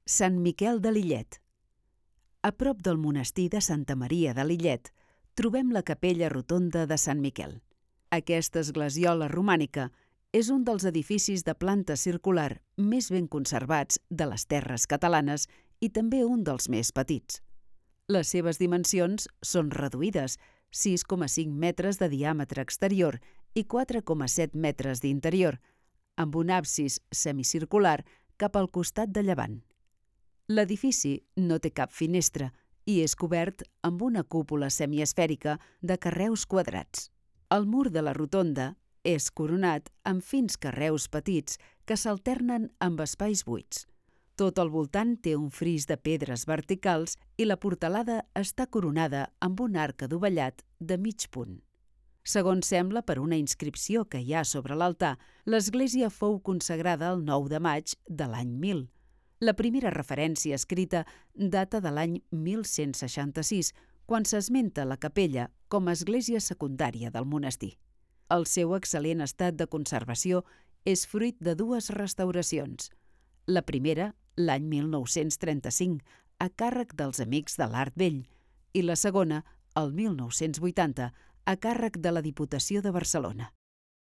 Sant Miquel de Lillet. A prop del monestir de Santa Maria de Lillet trobem la capella rotonda de Sant Miquel. Aquesta esglesiola romànica és un dels edificis de planta circular més ben conservats de les terres catalanes i també un dels més petits. Les seves dimensions són reduïdes, 6,5 metres de diàmetre exterior i 4,7 metres d'interior, amb un absis semicircular cap al costat de llevant. L'edifici no té cap finestra i és cobert amb una cúpula semiesfèrica de carreus quadrats. El mur de la rotonda és coronat amb fins carreus petits que s'alternen amb espais buits. Tot al voltant té un fris de pedres verticals i la portalada està coronada amb un arc adovellat de mig punt. Segons sembla per una inscripció que hi ha sobre l'altar, l'església fou consagrada el 9 de maig de l'any 1000. La primera referència escrita data de l'any 1166, quan s'esmenta la capella com a església secundària del monestir. El seu excel·lent estat de conservació és fruit de dues restauracions. La primera, l'any 1935, a càrrec dels Amics de l'Art Vell, i la segona, el 1980, a càrrec de la Diputació de Barcelona.